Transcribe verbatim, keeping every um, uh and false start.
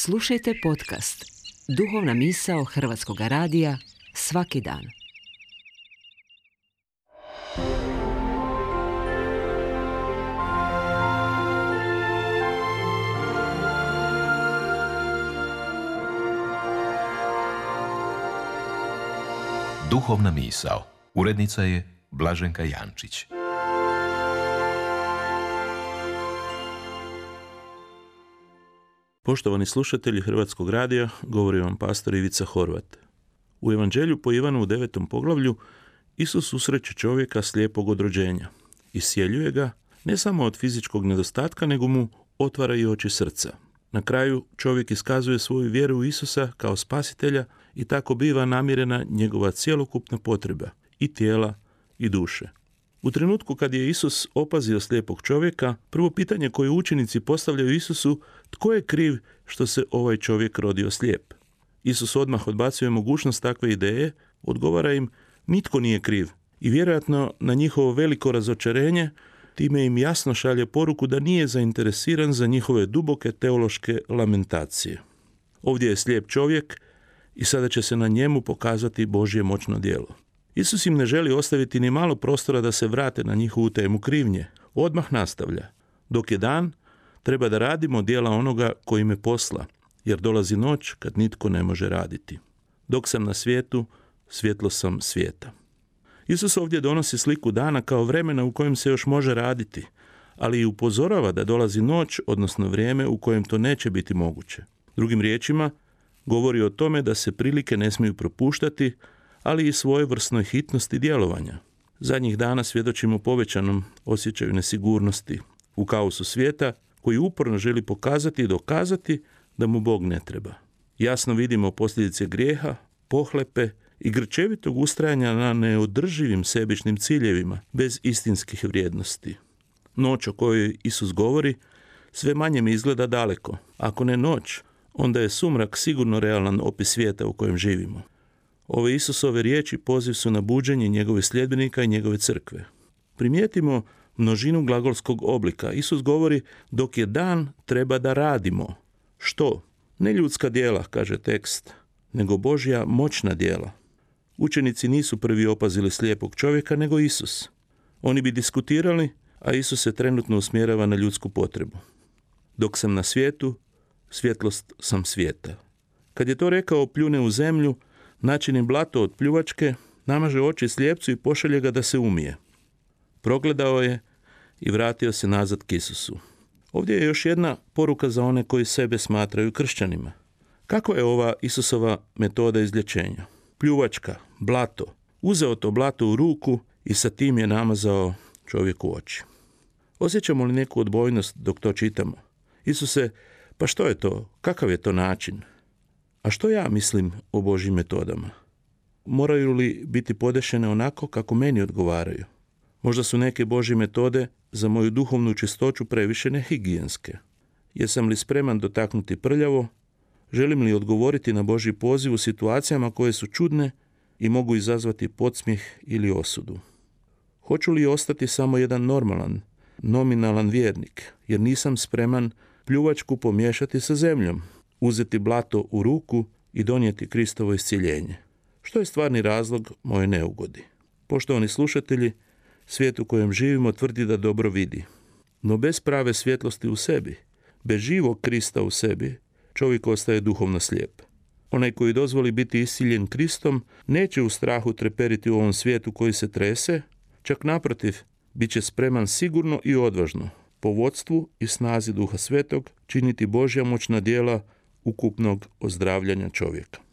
Slušajte podcast Duhovna misao Hrvatskog radija svaki dan. Duhovna misao. Urednica je Blaženka Jančić. Poštovani slušatelji Hrvatskog radija, govori vam pastor Ivica Horvat. U Evanđelju po Ivanu u devetom poglavlju Isus susreće čovjeka slijepog od rođenja. Iscijeljuje ga ne samo od fizičkog nedostatka, nego mu otvara i oči srca. Na kraju čovjek iskazuje svoju vjeru u Isusa kao spasitelja i tako biva namirena njegova cjelokupna potreba i tijela i duše. U trenutku kad je Isus opazio slijepog čovjeka, prvo pitanje koje učenici postavljaju Isusu, tko je kriv što se ovaj čovjek rodio slijep? Isus odmah odbacuje mogućnost takve ideje, odgovara im, nitko nije kriv. I vjerojatno na njihovo veliko razočarenje, time im jasno šalje poruku da nije zainteresiran za njihove duboke teološke lamentacije. Ovdje je slijep čovjek i sada će se na njemu pokazati Božje moćno djelo. Isus im ne želi ostaviti ni malo prostora da se vrate na njihovu temu krivnje. Odmah nastavlja. Dok je dan, treba da radimo djela onoga koji me posla, jer dolazi noć kad nitko ne može raditi. Dok sam na svijetu, svjetlo sam svijeta. Isus ovdje donosi sliku dana kao vremena u kojem se još može raditi, ali i upozorava da dolazi noć, odnosno vrijeme u kojem to neće biti moguće. Drugim riječima, govori o tome da se prilike ne smiju propuštati, ali i svojevrsnoj hitnosti djelovanja. Zadnjih dana svjedočimo povećanom osjećaju nesigurnosti u kaosu svijeta, koji uporno želi pokazati i dokazati da mu Bog ne treba. Jasno vidimo posljedice grijeha, pohlepe i grčevitog ustrajanja na neodrživim sebičnim ciljevima bez istinskih vrijednosti. Noć o kojoj Isus govori sve manje mi izgleda daleko. Ako ne noć, onda je sumrak sigurno realan opis svijeta u kojem živimo. Ove Isusove riječi poziv su na buđenje njegovih sljedbenika i njegove crkve. Primijetimo množinu glagolskog oblika. Isus govori, dok je dan, treba da radimo. Što? Ne ljudska djela, kaže tekst, nego Božja moćna djela. Učenici nisu prvi opazili slijepog čovjeka, nego Isus. Oni bi diskutirali, a Isus se trenutno usmjerava na ljudsku potrebu. Dok sam na svijetu, svjetlost sam svijeta. Kad je to rekao, pljune u zemlju, načini blato od pljuvačke, namaže oči slijepcu i pošalje ga da se umije. Progledao je i vratio se nazad k Isusu. Ovdje je još jedna poruka za one koji sebe smatraju kršćanima. Kako je ova Isusova metoda izlječenja? Pljuvačka, blato. Uzeo to blato u ruku i sa tim je namazao čovjeku oči. Osjećamo li neku odbojnost dok to čitamo? Isuse, pa što je to? Kakav je to način? A što ja mislim o Božjim metodama? Moraju li biti podešene onako kako meni odgovaraju? Možda su neke Božje metode za moju duhovnu čistoću previše nehigijenske. Jesam li spreman dotaknuti prljavo? Želim li odgovoriti na Božji poziv u situacijama koje su čudne i mogu izazvati podsmijeh ili osudu? Hoću li ostati samo jedan normalan, nominalan vjernik, jer nisam spreman pljuvačku pomiješati sa zemljom, uzeti blato u ruku i donijeti Kristovo iscjeljenje? Što je stvarni razlog moje neugodi? Poštovani slušatelji, svijet u kojem živimo tvrdi da dobro vidi. No bez prave svjetlosti u sebi, bez živog Krista u sebi, čovjek ostaje duhovno slijep. Onaj koji dozvoli biti isciljen Kristom neće u strahu treperiti u ovom svijetu koji se trese, čak naprotiv, bit će spreman sigurno i odvažno, po vodstvu i snazi Duha Svetog, činiti Božja moćna djela ukupnog ozdravljanja čovjeka.